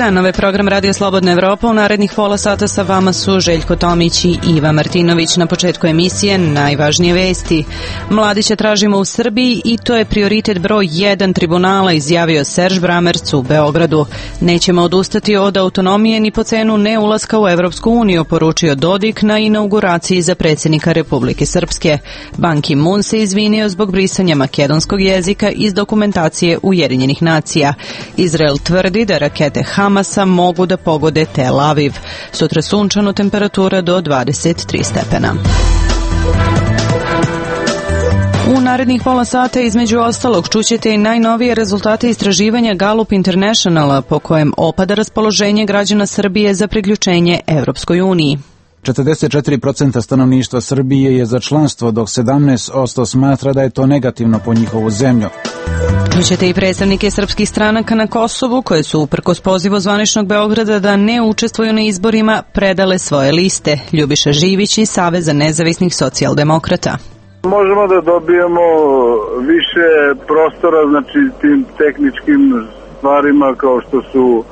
dan, ovaj program Radio Slobodna Evropa. U narednih pola sata sa vama su Željko Tomić i Iva Martinović. Na početku emisije najvažnije vesti. Mladića tražimo u Srbiji i to je prioritet broj 1 tribunala, izjavio Serž Bramerc u Beogradu. Nećemo odustati od autonomije ni po cenu neulaska u Evropsku uniju, poručio Dodik na inauguraciji za predsjednika Republike Srpske. Ban Ki-moon se izvinio zbog brisanja makedonskog jezika iz dokumentacije Ujedinjenih nacija. Izrael tvrdi da rakete Hamasa mogu da pogode Tel Aviv. Sutra sunčano, temperatura do 23 stepena. U narednih pola sata između ostalog čućete i najnovije rezultate istraživanja Gallup Internationala po kojem opada raspoloženje građana Srbije za priključenje Evropskoj uniji. 44% stanovništva Srbije je za članstvo, dok 17% smatra da je to negativno po njihovu zemlju. Čućete i predstavnike srpskih stranaka na Kosovu, koje su uprkos pozivu zvaničnog Beograda da ne učestvuju na izborima, predale svoje liste. Ljubiša Živić iz Saveza nezavisnih socijaldemokrata. Možemo da dobijemo više prostora, znači tim tehničkim stvarima kao što su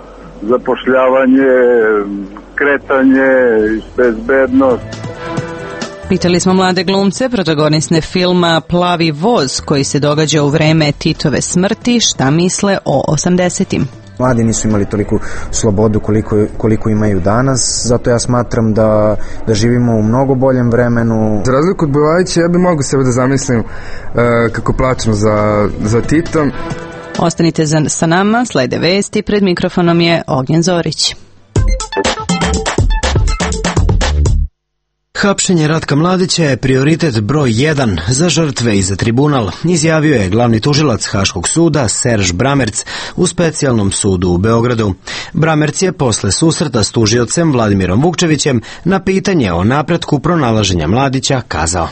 zapošljavanje, kretanje, bezbednost. Pitali smo mlade glumce, protagoniste filma Plavi voz, koji se događa u vreme Titove smrti, šta misle o 80-im. Mladi nisu imali toliku slobodu koliko imaju danas, zato ja smatram da živimo u mnogo boljem vremenu. Za razliku od Bulajića, ja bi mogu sebe da zamislim kako plačem za Titom. Ostanite sa nama, slede vesti, pred mikrofonom je Ognjen Zorić. Hapšenje Ratka Mladića je prioritet broj 1 za žrtve i za tribunal, izjavio je glavni tužilac Haškog suda Serž Bramerc u specijalnom sudu u Beogradu. Bramerc je posle susreta s tužiocem Vladimirom Vukčevićem na pitanje o napretku pronalaženja Mladića kazao: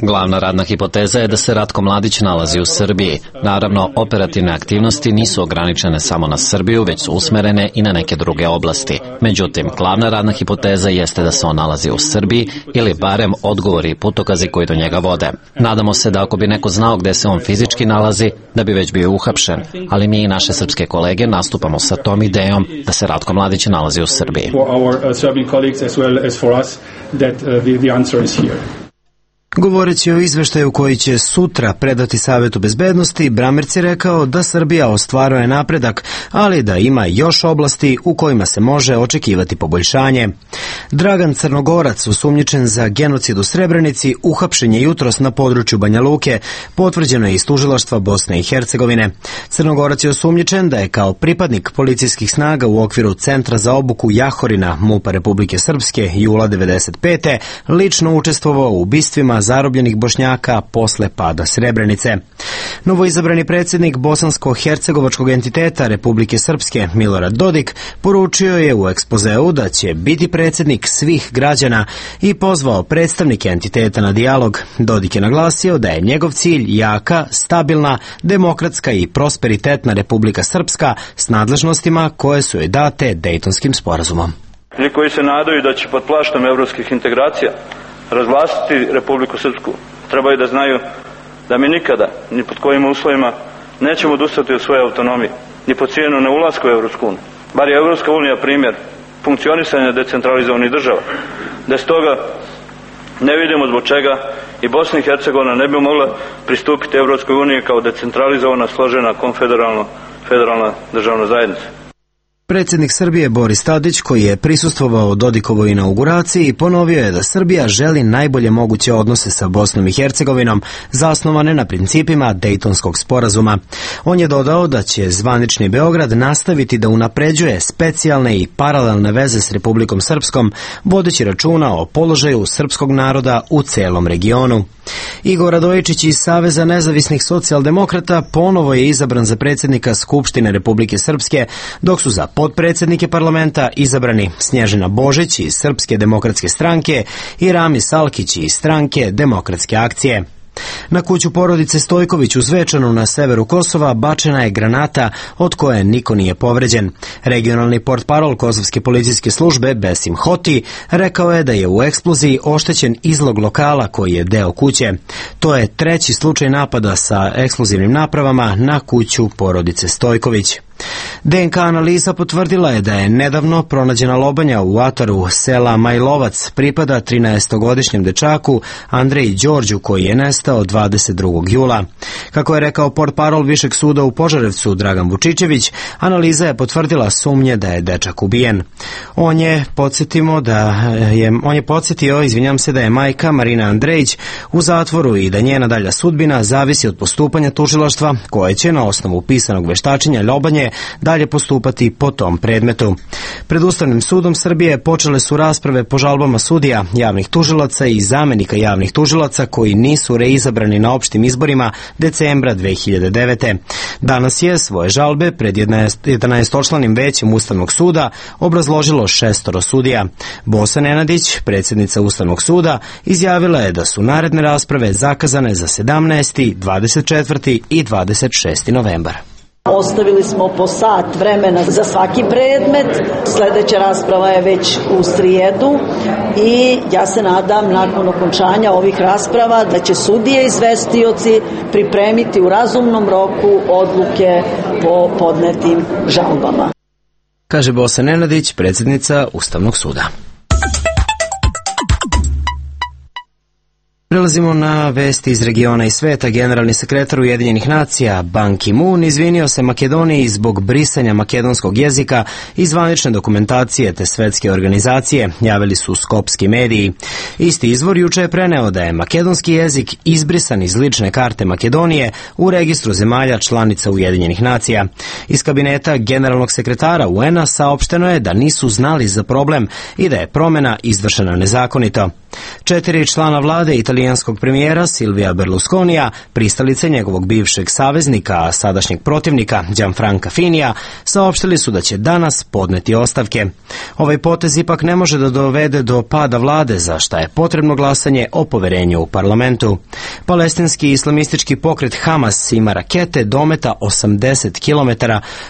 Glavna radna hipoteza je da se Ratko Mladić nalazi u Srbiji. Naravno, operativne aktivnosti nisu ograničene samo na Srbiju, već su usmerene i na neke druge oblasti. Međutim, glavna radna hipoteza jeste da se on nalazi u Srbiji ili barem odgovori i putokazi koji do njega vode. Nadamo se da ako bi neko znao gde se on fizički nalazi, da bi već bio uhapšen, ali mi i naše srpske kolege nastupamo sa tom idejom da se Ratko Mladić nalazi u Srbiji. Colleagues as well as for us that the answer is here. Govoreći o izveštaju koji će sutra predati Savetu bezbednosti, Bramerc je rekao da Srbija ostvaruje napredak, ali da ima još oblasti u kojima se može očekivati poboljšanje. Dragan Crnogorac, osumnjičen za genocid u Srebrenici, uhapšen je jutros na području Banja Luke, potvrđeno je iz tužilaštva Bosne i Hercegovine. Crnogorac je osumnjičen da je kao pripadnik policijskih snaga u okviru Centra za obuku Jahorina MUP-a Republike Srpske jula 1995. lično učestvovao u ubistvima zarobljenih Bošnjaka posle pada Srebrenice. Novoizabrani predsjednik bosansko-hercegovačkog entiteta Republike Srpske Milorad Dodik poručio je u ekspozeu da će biti predsjednik svih građana i pozvao predstavnike entiteta na dijalog. Dodik je naglasio da je njegov cilj jaka, stabilna, demokratska i prosperitetna Republika Srpska s nadležnostima koje su joj date Dejtonskim sporazumom. Oni koji se nadaju da će pod plaštom evropskih integracija razglasiti Republiku Srpsku, trebaju da znaju da mi nikada, ni pod kojim uslovima, nećemo odustati od svoje autonomije, ni pod cijenu ne ulaska u Evropsku uniju. Bar je Evropska unija primjer funkcionisanja decentralizovanih država. Bez toga ne vidimo zbog čega i Bosna i Hercegovina ne bi mogla pristupiti Evropskoj uniji kao decentralizovana, složena, konfederalna državna zajednica. Predsjednik Srbije Boris Tadić, koji je prisustvovao Dodikovoj inauguraciji, ponovio je da Srbija želi najbolje moguće odnose sa Bosnom i Hercegovinom, zasnovane na principima Dejtonskog sporazuma. On je dodao da će zvanični Beograd nastaviti da unapređuje specijalne i paralelne veze s Republikom Srpskom, vodeći računa o položaju srpskog naroda u celom regionu. Igor Radojičić iz Saveza nezavisnih socijaldemokrata ponovo je izabran za predsjednika Skupštine Republike Srpske, dok su za potpredsjednike parlamenta izabrani Snježana Božić iz Srpske demokratske stranke i Rami Salkić iz stranke Demokratske akcije. Na kuću porodice Stojković u Zvečanu na severu Kosova bačena je granata od koje niko nije povređen. Regionalni portparol kosovske policijske službe Besim Hoti rekao je da je u eksploziji oštećen izlog lokala koji je deo kuće. To je treći slučaj napada sa eksplozivnim napravama na kuću porodice Stojković. DNK analiza potvrdila je da je nedavno pronađena lobanja u ataru sela Majlovac pripada 13-godišnjem dečaku Andreji Đorđu koji je nestao 22. jula. Kako je rekao portparol Višeg suda u Požarevcu Dragan Vučićević, analiza je potvrdila sumnje da je dečak ubijen. On je podsjetio da je majka Marina Andrejić u zatvoru i da njena dalja sudbina zavisi od postupanja tužilaštva koje će na osnovu pisanog veštačenja lobanje dalje postupati po tom predmetu. Pred Ustavnim sudom Srbije počele su rasprave po žalbama sudija, javnih tužilaca i zamenika javnih tužilaca koji nisu reizabrani na opštim izborima decembra 2009. Danas je svoje žalbe pred 11-članim većem Ustavnog suda obrazložilo 6 sudija. Bosa Nenadić, predsjednica Ustavnog suda, izjavila je da su naredne rasprave zakazane za 17., 24. i 26. novembar. Ostavili smo po sat vremena za svaki predmet. Sledeća rasprava je već u srijedu i ja se nadam nakon okončanja ovih rasprava da će sudije izvestioci pripremiti u razumnom roku odluke po podnetim žalbama. Kaže Bosa Nenadić, predsjednica Ustavnog suda. Prelazimo na vesti iz regiona i sveta. Generalni sekretar Ujedinjenih nacija Ban Ki-moon izvinio se Makedoniji zbog brisanja makedonskog jezika iz zvanične dokumentacije te svetske organizacije, javili su skopski mediji. Isti izvor juče je preneo da je makedonski jezik izbrisan iz lične karte Makedonije u registru zemalja članica Ujedinjenih nacija. Iz kabineta generalnog sekretara UN-a saopšteno je da nisu znali za problem i da je promena izvršena nezakonito. 4 člana vlade italijanskog premijera Silvija Berlusconija, pristalice njegovog bivšeg saveznika, a sadašnjeg protivnika Gianfranca Finija, saopštili su da će danas podneti ostavke. Ovaj potez ipak ne može da dovede do pada vlade, za šta je potrebno glasanje o poverenju u parlamentu. Palestinski islamistički pokret Hamas ima rakete dometa 80 km,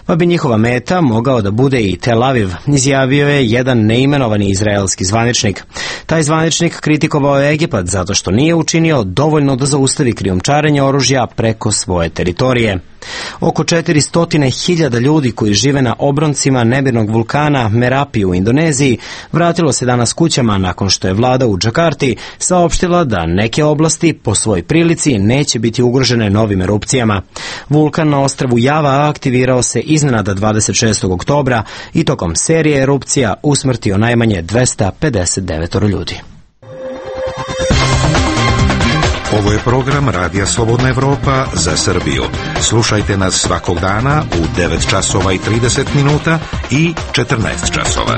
pa bi njihova meta mogao da bude i Tel Aviv, izjavio je jedan neimenovani izraelski zvaničnik. Taj zvaničnik kritikovao je Egipat zato što nije učinio dovoljno da zaustavi krijumčarenje oružja preko svoje teritorije. Oko 400.000 ljudi koji žive na obroncima nemirnog vulkana Merapi u Indoneziji vratilo se danas kućama nakon što je vlada u Džakarti saopštila da neke oblasti po svojoj prilici neće biti ugrožene novim erupcijama. Vulkan na ostrvu Java aktivirao se iznenada 26. oktobra i tokom serije erupcija usmrtio najmanje 259 ljudi. Ovo je program Radija Slobodna Evropa za Srbiju. Slušajte nas svakog dana u 9 časova i 30 minuta i 14 časova.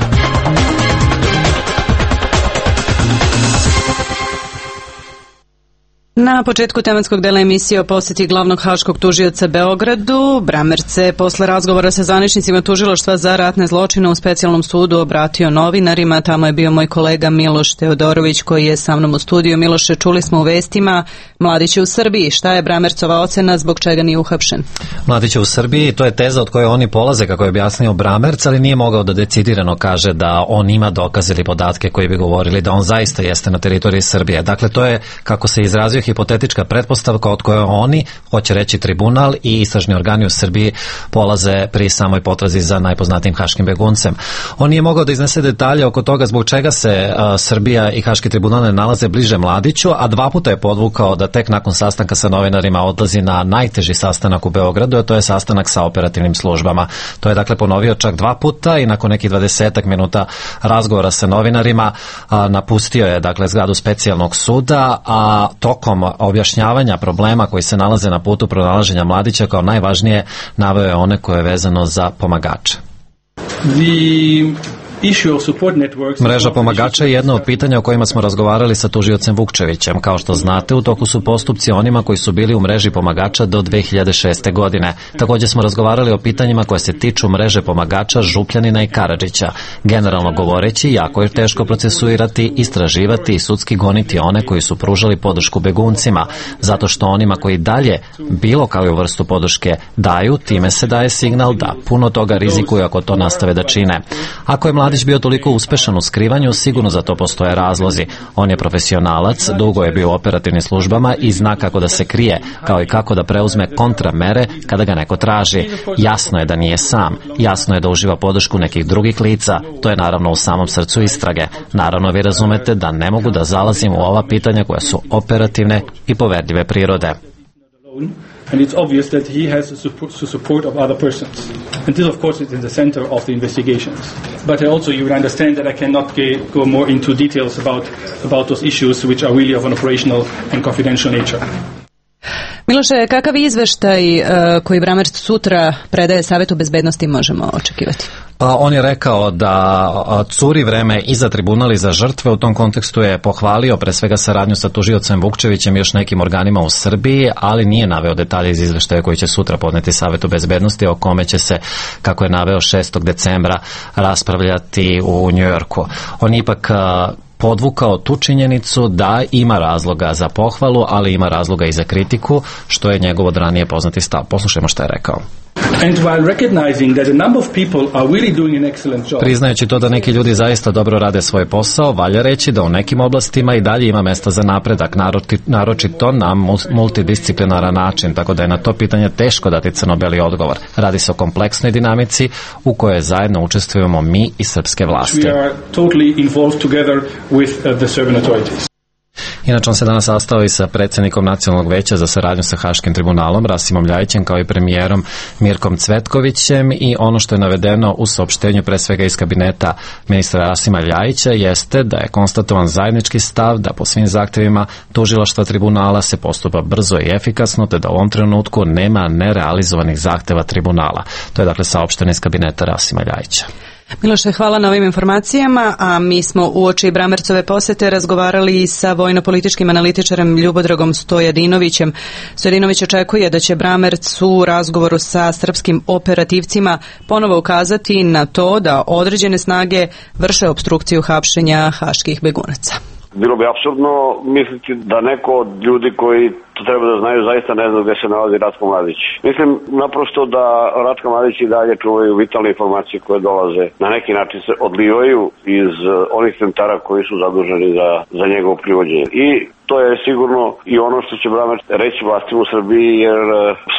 Na početku tematskog dela emisije o posjeti glavnog haškog tužioca Beogradu, Bramerc se posle razgovora sa zvaničnicima tužilaštva za ratne zločine u specijalnom sudu obratio novinarima. Tamo je bio moj kolega Miloš Teodorović koji je sa mnom u studiju. Miloše, čuli smo u vestima Mladić je u Srbiji. Šta je Bramercova ocena, zbog čega nije uhapšen? Mladić je u Srbiji, to je teza od koje oni polaze, kako je objasnio Bramerc, ali nije mogao da decidirano kaže da on ima dokaze ili podatke koji bi govorili da on zaista jeste na teritoriji Srbije. Dakle, to je, kako se izrazio, hipotetička pretpostavka od koje oni, hoće reći tribunal i istražni organi u Srbiji, polaze pri samoj potrazi za najpoznatijim haškim beguncem. On nije mogao da iznese detalje oko toga zbog čega se Srbija i haški tribunal ne nalaze bliže Mladiću, a 2 puta je podvukao da tek nakon sastanka sa novinarima odlazi na najteži sastanak u Beogradu, a to je sastanak sa operativnim službama. To je dakle ponovio čak 2 puta i nakon nekih 20 minuta razgovora sa novinarima napustio je dakle zgradu specijalnog suda, a tokom objašnjavanja problema koji se nalaze na putu pronalaženja Mladića kao najvažnije naveo je one koje je vezano za pomagače. The Mreža pomagača je jedno od pitanja o kojima smo razgovarali sa tužiocem Vukčevićem. Kao što znate, u toku su postupci onima koji su bili u mreži pomagača do 2006. godine. Također smo razgovarali o pitanjima koje se tiču mreže pomagača Župljanina i Karadžića. Generalno govoreći, jako je teško procesuirati, istraživati i sudski goniti one koji su pružali podršku beguncima, zato što onima koji dalje bilo kakvu vrstu podrške daju, time se daje signal da puno toga rizikuju ako to nastave da čine. Ako je mladić bio toliko uspešan u skrivanju, sigurno za to postoje razlozi. On je profesionalac, dugo je bio u operativnim službama i zna kako da se krije, kao i kako da preuzme kontramere kada ga neko traži. Jasno je da nije sam, jasno je da uživa podršku nekih drugih lica, to je naravno u samom srcu istrage. Naravno vi razumete da ne mogu da zalazim u ova pitanja koja su operativne i poverljive prirode. And it's obvious that he has the support of other persons. And this, of course, is in the center of the investigations. But also you would understand that I cannot go more into details about those issues which are really of an operational and confidential nature. Miloše, kakav izveštaj koji Brammertz sutra predaje Savetu bezbednosti možemo očekivati? On je rekao da curi vreme i za tribunal i za žrtve. U tom kontekstu je pohvalio pre svega saradnju sa tužiocem Vukčevićem i još nekim organima u Srbiji, ali nije naveo detalje iz izveštaja koji će sutra podneti Savetu bezbednosti, o kome će se, kako je naveo, 6. decembra raspravljati u Njujorku. On ipak podvukao tu činjenicu da ima razloga za pohvalu, ali ima razloga i za kritiku, što je njegov od ranije poznati stav. Poslušajmo što je rekao. Priznajući to da neki ljudi zaista dobro rade svoj posao, valja reći da u nekim oblastima i dalje ima mesta za napredak, naročito na multidisciplinaran način, tako da je na to pitanje teško dati crno-beli odgovor. Radi se o kompleksnoj dinamici u kojoj zajedno učestvujemo mi i srpske vlasti. Inače, on se danas sastao i sa predsjednikom Nacionalnog veća za saradnju sa Haškim tribunalom, Rasimom Ljajićem, kao i premijerom Mirkom Cvetkovićem, i ono što je navedeno u saopštenju pre svega iz kabineta ministra Rasima Ljajića jeste da je konstatovan zajednički stav da po svim zahtjevima tužilaštva tribunala se postupa brzo i efikasno, te da u ovom trenutku nema nerealizovanih zahtjeva tribunala. To je dakle saopšteno iz kabineta Rasima Ljajića. Miloše, hvala na ovim informacijama, a mi smo uoči Brammertzove posete razgovarali i sa vojno-političkim analitičarem Ljubodragom Stojadinovićem. Stojadinović očekuje da će Brammertz u razgovoru sa srpskim operativcima ponovo ukazati na to da određene snage vrše opstrukciju hapšenja haških begunaca. Bilo bi apsurdno misliti da neko od ljudi koji to treba da znaju zaista ne zna gde se nalazi Ratko Mladić. Mislim naprosto da Ratko Mladić i dalje čuvaju vitalne informacije koje dolaze. Na neki način se odlivaju iz onih centara koji su zaduženi za njegovo privođenje. I to je sigurno i ono što će Brammertz reći vlastima u Srbiji, jer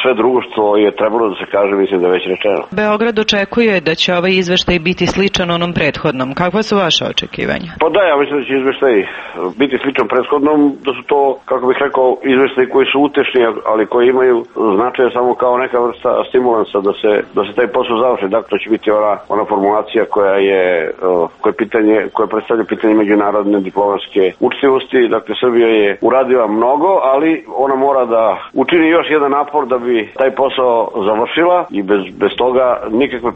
sve drugo što je trebalo da se kaže, mislim da je već rečeno. Beograd očekuje da će ovaj izveštaj biti sličan onom prethodnom. Kakva su vaše očekivanja? Pa da, ja mislim da će izveštaj biti sličan prethodnom, da su to, kako bih rekao, izveštaj koji su utešni, ali koji imaju značaj samo kao neka vrsta stimulansa da se taj posao završi. Dakle, to će biti ona formulacija koja predstavlja pitanje međunarodne diplomatske učtivosti. Dakle, Srbija je uradila mnogo, ali ona mora da učini još jedan napor da bi taj posao završila, i bez toga nikakve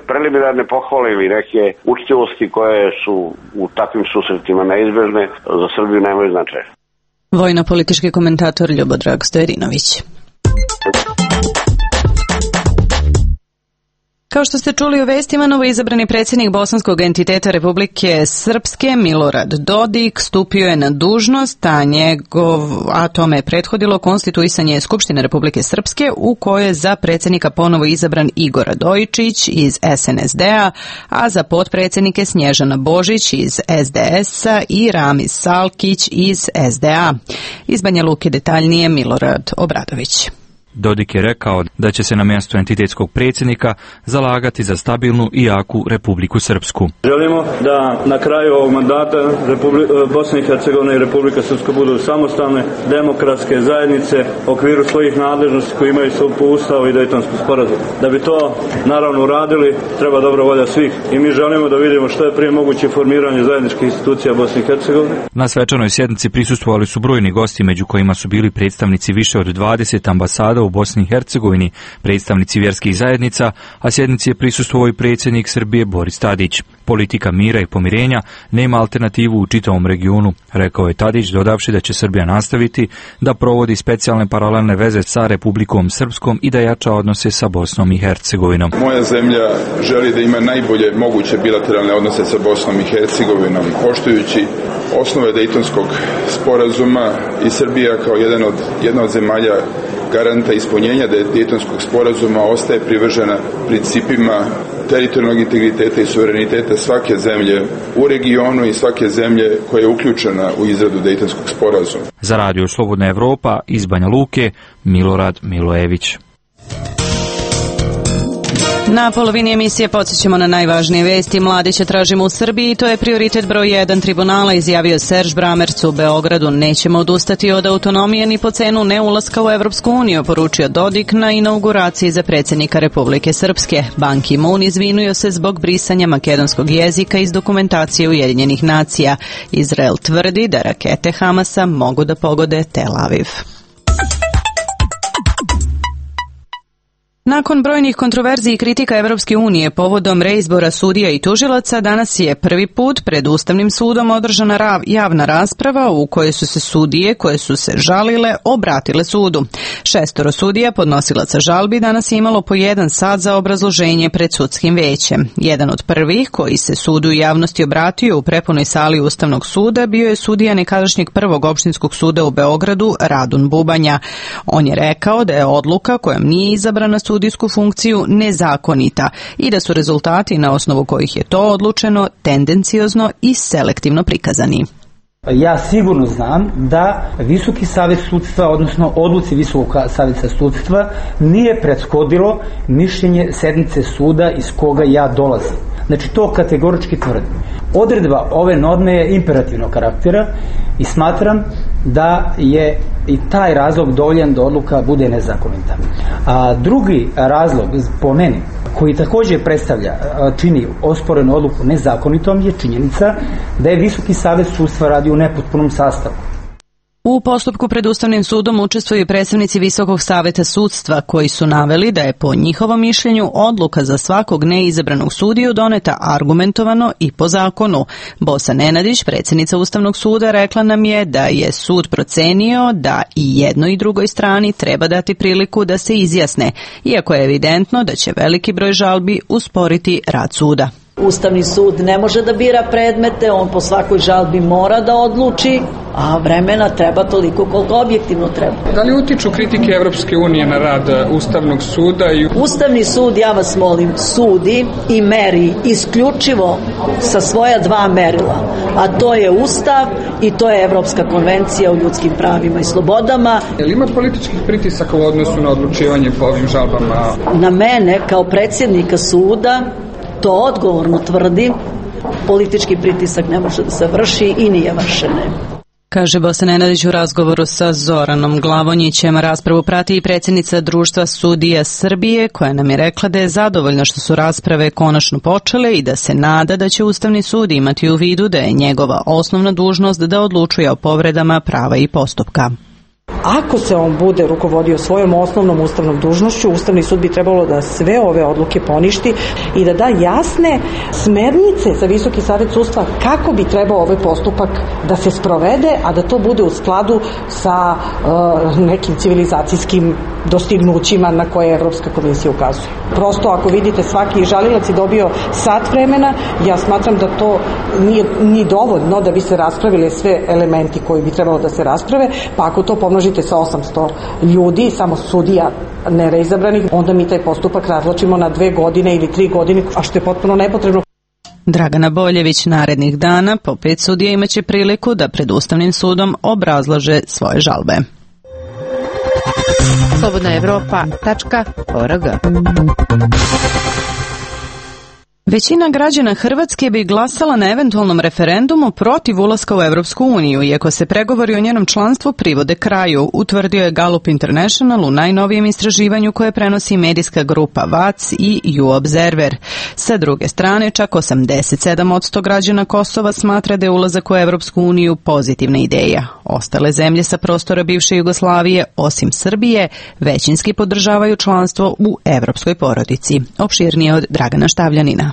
preliminarne pohvale ili neke učtivosti koje su u takvim susretima neizbežne za Srbiju nemaju značaja. Vojno-politički komentator Ljubodrag Stojadinović. Kao što ste čuli u vestima, novoizabrani predsjednik bosanskog entiteta Republike Srpske Milorad Dodik stupio je na dužnost, a tome je prethodilo konstituisanje Skupštine Republike Srpske, u kojoj je za predsjednika ponovo izabran Igor Radojičić iz SNSD-a, a za potpredsjednike Snježana Božić iz SDS-a i Ramiz Salkić iz SDA. Iz Banja Luke detaljnije Milorad Obradović. Dodik je rekao da će se na mjestu entitetskog predsjednika zalagati za stabilnu i jaku Republiku Srpsku. Želimo da na kraju ovog mandata Bosna i Hercegovina i Republika Srpska budu samostalne demokratske zajednice u okviru svojih nadležnosti koji imaju po Ustavu i Dejtonskog sporazuma. Da bi to naravno uradili, treba dobra volja svih, i mi želimo da vidimo što je prije moguće formiranje zajedničkih institucija Bosne i Hercegovine. Na svečanoj sjednici prisustvovali su brojni gosti, među kojima su bili predstavnici više od 20 ambasada u Bosni i Hercegovini, predstavnici vjerskih zajednica, a sjednici je prisustvovao i predsjednik Srbije Boris Tadić. Politika mira i pomirenja nema alternativu u čitavom regionu, rekao je Tadić, dodavši da će Srbija nastaviti da provodi specijalne paralelne veze sa Republikom Srpskom i da jača odnose sa Bosnom i Hercegovinom. Moja zemlja želi da ima najbolje moguće bilateralne odnose sa Bosnom i Hercegovinom, poštujući osnove Dejtonskog sporazuma, i Srbija kao jedna od zemalja garanta ispunjenja Dejtonskog sporazuma ostaje privržena principima teritorijalnog integriteta i suvereniteta svake zemlje u regionu i svake zemlje koja je uključena u izradu Dejtonskog sporazuma. Za Radio Slobodna Evropa iz Banja Luke, Milorad Milojević. Na polovini emisije podsjećamo na najvažnije vesti. Mladića tražimo u Srbiji i to je prioritet broj 1 tribunala, izjavio Serž Bramerc u Beogradu. Nećemo odustati od autonomije ni po cenu neulaska u Evropsku uniju, poručio Dodik na inauguraciji za predsjednika Republike Srpske. Ban Ki-moon izvinio se zbog brisanja makedonskog jezika iz dokumentacije Ujedinjenih nacija. Izrael tvrdi da rakete Hamasa mogu da pogode Tel Aviv. Nakon brojnih kontroverzi i kritika Evropske unije povodom reizbora sudija i tužilaca, danas je prvi put pred Ustavnim sudom održana javna rasprava u kojoj su se sudije koje su se žalile obratile sudu. 6 sudija podnosilaca žalbi danas je imalo po 1 sat za obrazloženje pred sudskim većem. Jedan od prvih koji se sudu i javnosti obratio u prepunoj sali Ustavnog suda bio je sudija nekadašnjeg prvog opštinskog suda u Beogradu, Radun Bubanja. On je rekao da je odluka kojom nije izabrana sudijsku funkciju nezakonita i da su rezultati na osnovu kojih je to odlučeno tendenciozno i selektivno prikazani. Ja sigurno znam da Visoki savet sudstva, odnosno odluci Visokog saveta sudstva, nije prethodilo mišljenje sednice suda iz koga ja dolazim. Znači, to kategorički tvrdim. Odredba ove norme je imperativnog karaktera i smatram da je i taj razlog dovoljan da odluka bude nezakonita. A drugi razlog, po meni, koji također čini osporenu odluku nezakonitom, je činjenica da je Visoki savet sudstva radi u nepotpunom sastavu. U postupku pred Ustavnim sudom učestvuju predstavnici Visokog saveta sudstva koji su naveli da je po njihovom mišljenju odluka za svakog neizabranog sudiju doneta argumentovano i po zakonu. Bosa Nenadić, predsjednica Ustavnog suda, rekla nam je da je sud procenio da i jednoj i drugoj strani treba dati priliku da se izjasne, iako je evidentno da će veliki broj žalbi usporiti rad suda. Ustavni sud ne može da bira predmete, on po svakoj žalbi mora da odluči, a vremena treba toliko koliko objektivno treba. Da li utiču kritike Evropske unije na rad Ustavnog suda? Ustavni sud, ja vas molim, sudi i meri isključivo sa svoja 2 merila, a to je Ustav i to je Evropska konvencija o ljudskim pravima i slobodama. Je li ima političkih pritisaka u odnosu na odlučivanje po ovim žalbama? Na mene, kao predsjednika suda, to odgovorno tvrdim, politički pritisak ne može da se vrši i nije vršene. Kaže Bosa Nenadić u razgovoru sa Zoranom Glavonjićem. Raspravu prati i predsjednica Društva sudija Srbije, koja nam je rekla da je zadovoljna što su rasprave konačno počele i da se nada da će Ustavni sud imati u vidu da je njegova osnovna dužnost da odlučuje o povredama prava i postupka. Ako se on bude rukovodio svojom osnovnom ustavnom dužnošću, Ustavni sud bi trebalo da sve ove odluke poništi i da da jasne smernice za Visoki savet sudstva kako bi trebao ovaj postupak da se sprovede, a da to bude u skladu sa nekim civilizacijskim dostignućima na koje Evropska komisija ukazuje. Prosto, ako vidite, svaki žalilac je dobio sat vremena, ja smatram da to nije ni dovoljno da bi se raspravile sve elementi koji bi trebalo da se rasprave, pa ako to pomnožite sa 800 ljudi, samo sudija nereizabranih, onda mi taj postupak razvlačimo na 2 godine ili 3 godine, a što je potpuno nepotrebno. Dragana Boljević narednih dana po 5 sudija imaće priliku da pred Ustavnim sudom obrazlaže svoje žalbe. Slobodna Evropa.org Većina građana Hrvatske bi glasala na eventualnom referendumu protiv ulaska u Evropsku uniju, iako se pregovori o njenom članstvu privode kraju, utvrdio je Gallup International u najnovijem istraživanju koje prenosi medijska grupa VAC i U-Observer. Sa druge strane, čak 87% građana Kosova smatra da je ulazak u Evropsku uniju pozitivna ideja. Ostale zemlje sa prostora bivše Jugoslavije, osim Srbije, većinski podržavaju članstvo u evropskoj porodici. Opširnije od Dragana Štavljanina.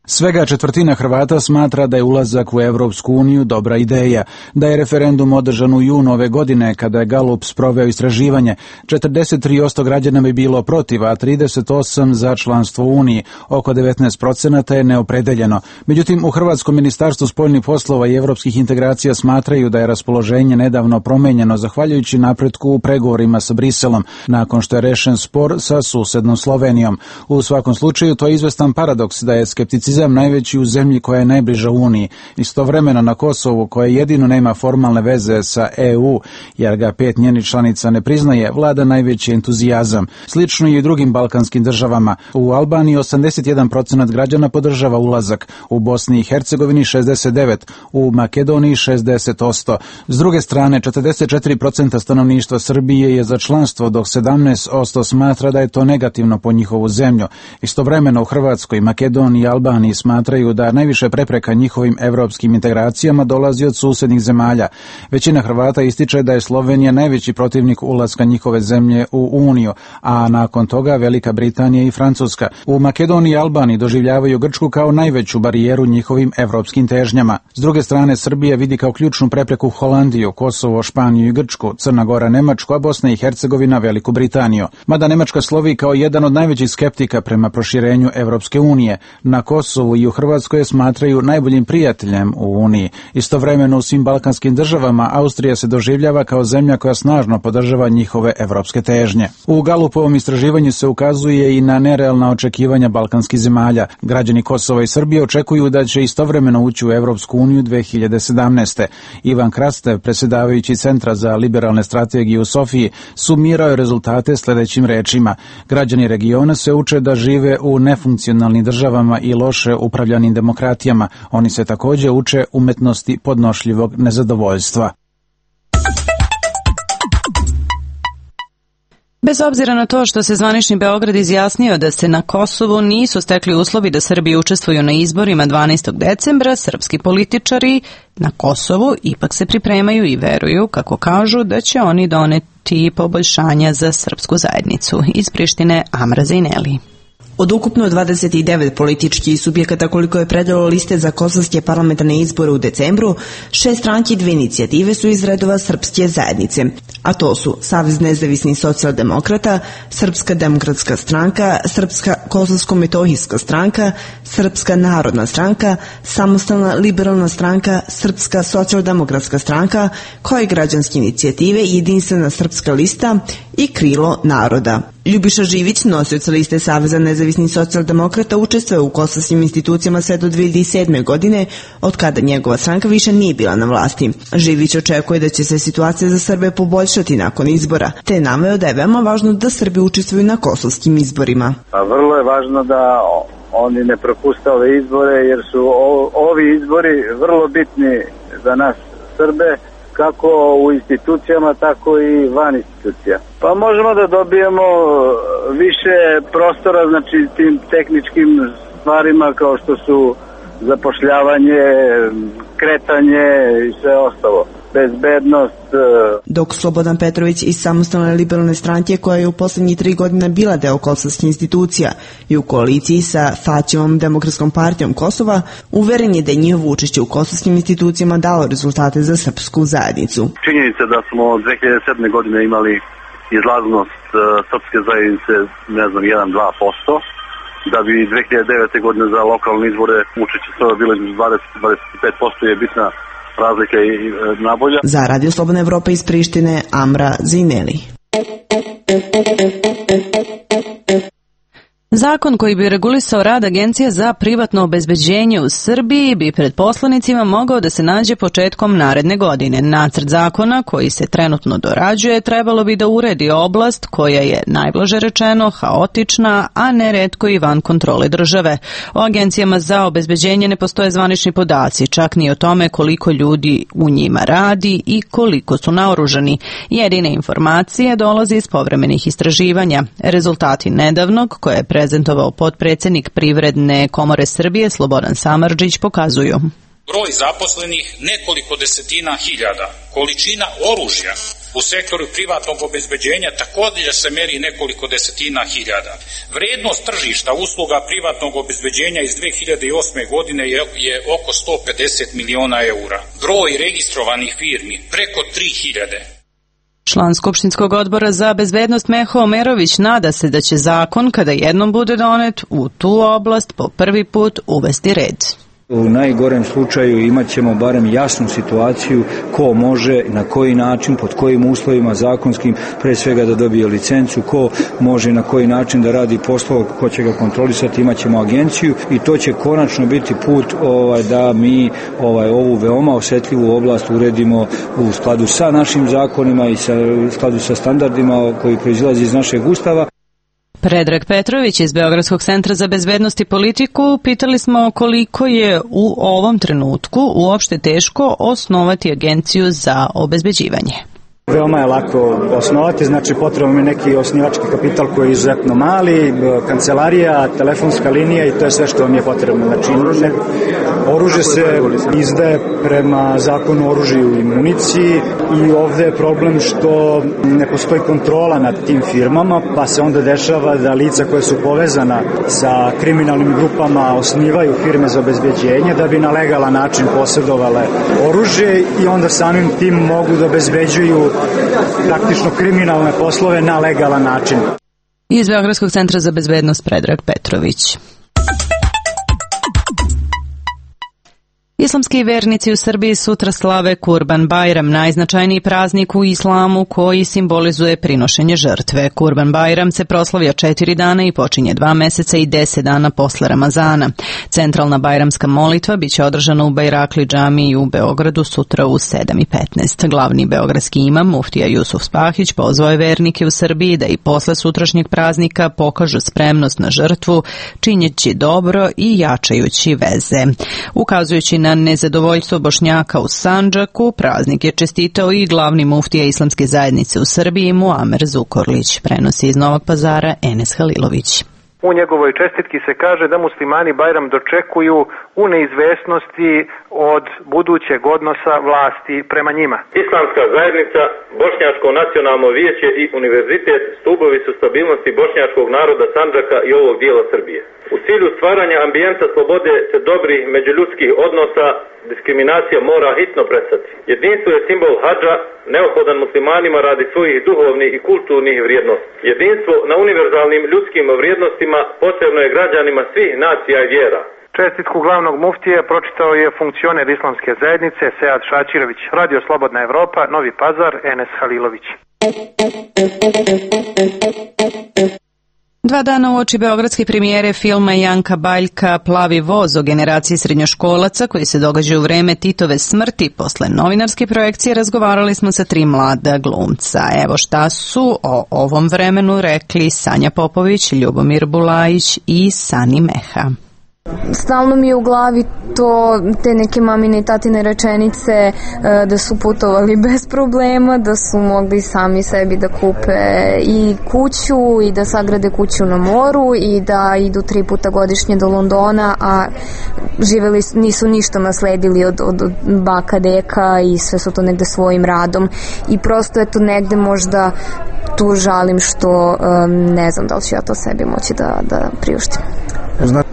Svega četvrtina Hrvata smatra da je ulazak u Evropsku uniju dobra ideja. Da je referendum održan u junu ove godine, kada je Gallup sproveo istraživanje, 43% građana bi bilo protiv, a 38% za članstvo u Uniji. Oko 19% je neopredeljeno. Međutim, u Hrvatskom ministarstvu spoljnih poslova i evropskih integracija smatraju da je raspoloženje nedavno promenjeno zahvaljujući napretku u pregovorima sa Briselom, nakon što je rešen spor sa susednom Slovenijom. U svakom slučaju, to je izvestan paradoks da je skepticizam najveći u zemlji koja je najbliža Uniji. Istovremeno na Kosovu, koje jedino nema formalne veze sa EU, jer ga 5 njenih članica ne priznaje, vlada najveći entuzijazam. Slično i u drugim balkanskim državama. U Albaniji 81% građana podržava ulazak, u Bosni i Hercegovini 69%, u Makedoniji 60%. S druge strane, 44% stanovništva Srbije je za članstvo, dok 17% smatra da je to negativno po njihovu zemlju. Istovremeno u Hrvatskoj, Makedoniji i Albaniji smatraju da najviše prepreka njihovim evropskim integracijama dolazi od susednih zemalja. Većina Hrvata ističe da je Slovenija najveći protivnik ulaska njihove zemlje u Uniju, a nakon toga Velika Britanija i Francuska. U Makedoniji i Albaniji doživljavaju Grčku kao najveću barijeru njihovim evropskim težnjama. S druge strane, Srbija vidi kao ključnu prepreku Holandiju, Kosovo, Španiju i Grčku, Crna Gora, Nemačku, a Bosna i Hercegovina Veliku Britaniju. Mada Nemačka slovi kao jedan od najvećih skeptika prema proširenju Evropske unije, na Kosovu i u Hrvatskoj je smatraju najboljim prijateljem u Uniji. Istovremeno u svim balkanskim državama Austrija se doživljava kao zemlja koja snažno podržava njihove evropske težnje. U Gallupovom istraživanju se ukazuje i na nerealna očekivanja balkanskih zemalja. Građani Kosova i Srbije očekuju da će istovremeno ući u Evropsku uniju 2017. Ivan Krastev, predsjedavajući Centra za liberalne strategije u Sofiji, sumirao je rezultate sljedećim rečima. Građani regiona se uče da žive u nefunkcionalnim državama i loše upravljanim demokratijama. Oni se također uče umetnosti podnošljivog nezadovoljstva. Bez obzira na to što se zvanični Beograd izjasnio da se na Kosovu nisu stekli uslovi da Srbi učestvuju na izborima 12. decembra, srpski političari na Kosovu ipak se pripremaju i veruju, kako kažu, da će oni doneti poboljšanja za srpsku zajednicu. Iz Prištine, Amra Zejneli. Od ukupno 29 političkih subjekata koliko je predalo liste za kosovske parlamentarne izbore u decembru, 6 stranki i 2 inicijative su iz redova srpske zajednice, a to su Savez nezavisnih socijaldemokrata, Srpska demokratska stranka, Srpska kosovsko-metohijska stranka, Srpska narodna stranka, Samostalna liberalna stranka, Srpska socijaldemokratska stranka, kao i građanske inicijative Jedinstvena srpska lista i Krilo naroda. Ljubiša Živić, nosioc liste Saveza nezavisnih socijaldemokrata, učestvuje u kosovskim institucijama sve do 2007. godine, od kada njegova stranka više nije bila na vlasti. Živić očekuje da će se situacija za Srbe poboljšati nakon izbora, te je naveo da je veoma važno da Srbi učestvuju na kosovskim izborima. Vrlo je važno da oni ne propuste ove izbore, jer su ovi izbori vrlo bitni za nas Srbe, kako u institucijama, tako i van institucija. Pa možemo da dobijemo više prostora, znači tim tehničkim stvarima kao što su zapošljavanje, kretanje i sve ostalo. Bezbednost. Dok Slobodan Petrović iz Samostalne liberalne stranke, koja je u posljednjih 3 godine bila deo kosovskih institucija i u koaliciji sa Faćevom demokratskom partijom Kosova, uveren je da je njihovo učešće u kosovskim institucijama dalo rezultate za srpsku zajednicu. Činjenica da smo 2007. godine imali izlaznost srpske zajednice, 1-2%, da bi 2009. godine za lokalne izbore učešće Srba bilo između 20-25% je bitna razlika i nabolja. Za Radio Slobodna Evropa iz Prištine, Amra Zejneli. Zakon koji bi regulisao rad Agencije za privatno obezbeđenje u Srbiji bi pred poslanicima mogao da se nađe početkom naredne godine. Nacrt zakona koji se trenutno dorađuje trebalo bi da uredi oblast koja je, najblaže rečeno, haotična, a neretko i van kontrole države. O agencijama za obezbeđenje ne postoje zvanični podaci, čak ni o tome koliko ljudi u njima radi i koliko su naoružani. Jedine informacije dolaze iz povremenih istraživanja. Rezultati nedavnog, koje je prezentovao potpredsjednik Privredne komore Srbije Slobodan Samardžić, pokazuju. Broj zaposlenih nekoliko desetina hiljada, količina oružja u sektoru privatnog obezbeđenja također se meri nekoliko desetina hiljada. Vrednost tržišta usluga privatnog obezbeđenja iz 2008. godine je oko 150 miliona eura. Broj registrovanih firmi preko 3000. Član Skupštinskog odbora za bezbednost Meho Omerović nada se da će zakon, kada jednom bude donet, u tu oblast po prvi put uvesti red. U najgorem slučaju imat ćemo barem jasnu situaciju ko može, na koji način, pod kojim uslovima zakonskim, pre svega da dobije licencu, ko može na koji način da radi poslove, ko će ga kontrolisati, imat ćemo agenciju i to će konačno biti put da mi ovu veoma osetljivu oblast uredimo u skladu sa našim zakonima i u skladu sa standardima koji proizilazi iz našeg Ustava. Predrag Petrović iz Beogradskog centra za bezbednost i politiku, pitali smo koliko je u ovom trenutku uopšte teško osnovati agenciju za obezbeđivanje. Veoma je lako osnovati, znači potrebno je neki osnivački kapital koji je izuzetno mali, kancelarija, telefonska linija i to je sve što vam je potrebno. Znači, oružje se izdaje prema zakonu o oružju i municiji i ovde je problem što ne postoji kontrola nad tim firmama, pa se onda dešava da lica koje su povezana sa kriminalnim grupama osnivaju firme za obezbeđenje da bi na legalan način posjedovale oružje i onda samim tim mogu da obezbeđuju praktično kriminalne poslove na legalan način. Iz Beogradskog centra za bezbednost Predrag Petrović. Islamski vernici u Srbiji sutra slave Kurban Bajram, najznačajniji praznik u islamu koji simbolizuje prinošenje žrtve. Kurban Bajram se proslavlja 4 dana i počinje 2 meseca i 10 dana posle Ramazana. Centralna bajramska molitva biće održana u Bajrakli džamiji u Beogradu sutra u 7:15. Glavni beogradski imam, muftija Jusuf Spahić, pozvao je vernike u Srbiji da i posle sutrašnjeg praznika pokažu spremnost na žrtvu, činjeći dobro i jačajući veze. Ukazujući na nezadovoljstvo Bošnjaka u Sandžaku, praznik je čestitao i glavni muftija Islamske zajednice u Srbiji Muamer Zukorlić, prenosi iz Novog Pazara Enes Halilović. U njegovoj čestitki se kaže da muslimani Bajram dočekuju u neizvesnosti od budućeg odnosa vlasti prema njima. Islamska zajednica, Bošnjačko nacionalno vijeće i univerzitet stubovi su stabilnosti bošnjačkog naroda Sandžaka i ovog dijela Srbije. U cilju stvaranja ambijenta slobode te dobrih međuljudskih odnosa, diskriminacija mora hitno prestati. Jedinstvo je simbol hadža, neophodan muslimanima radi svojih duhovnih i kulturnih vrijednosti. Jedinstvo na univerzalnim ljudskim vrijednostima potrebno je građanima svih nacija i vjera. Čestitku glavnog muftije pročitao je funkcioner Islamske zajednice Sead Šačirović. Radio Slobodna Evropa, Novi Pazar, Enes Halilović. 2 dana uoči beogradske premijere filma Janka Baljka Plavi voz o generaciji srednjoškolaca koji se događa u vreme Titove smrti, posle novinarske projekcije razgovarali smo sa 3 mlada glumca. Evo šta su o ovom vremenu rekli Sanja Popović, Ljubomir Bulajić i Sani Meha. Stalno mi je u glavi te neke mamine i tatine rečenice da su putovali bez problema, da su mogli sami sebi da kupe i kuću i da sagrade kuću na moru i da idu 3 puta godišnje do Londona, a nisu ništa nasledili od baka, deka i sve su to negde svojim radom i prosto je to negde možda tu žalim što ne znam da li ću ja to sebi moći da priuštim.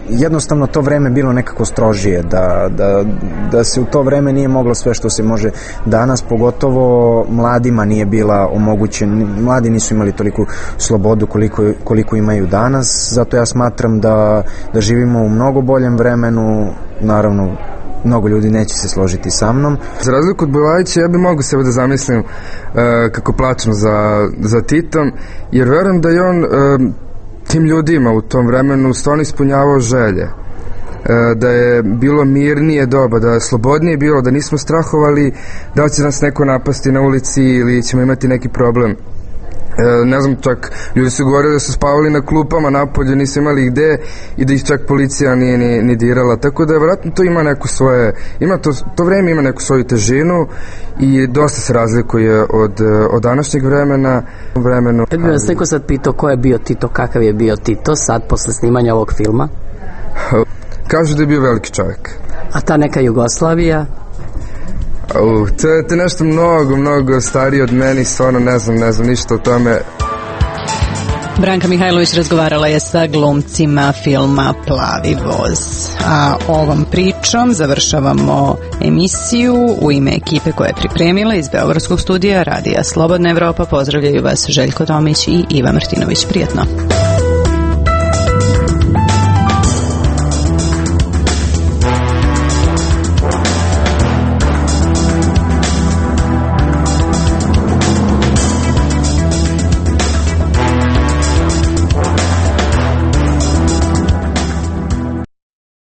Jednostavno to vreme bilo nekako strožije, da se u to vreme nije moglo sve što se može danas, pogotovo mladima nije bila omogućen, mladi nisu imali toliku slobodu koliko imaju danas, zato ja smatram da živimo u mnogo boljem vremenu, naravno mnogo ljudi neće se složiti sa mnom. Za razliku od Bulajića, ja bi mogu sebe da zamislim kako plačem za Titom, jer verujem da je on tim ljudima u tom vremenu stvarno ispunjavao želje, da je bilo mirnije doba, da je slobodnije bilo, da nismo strahovali da će nas neko napasti na ulici ili ćemo imati neki problem. Ne znam, čak ljudi su govorili da su spavali na klupama napolje, nisu imali gde i da ih čak policija nije ni dirala, tako da vjerojatno to ima neku svoje, to vreme ima neku svoju težinu i dosta se razlikuje od današnjeg vremena. Kad bi vas neko sad pitao ko je bio Tito, kakav je bio Tito sad posle snimanja ovog filma? Kažu da je bio veliki čovjek. A ta neka Jugoslavija? To je nešto mnogo starije od meni, stvarno ne znam ništa o tome. Branka Mihajlović razgovarala je sa glumcima filma Plavi voz. A ovom pričom završavamo emisiju. U ime ekipe koja je pripremila iz Beogradskog studija Radija Slobodna Evropa pozdravljaju vas Željko Tomić i Iva Martinović. Prijetno.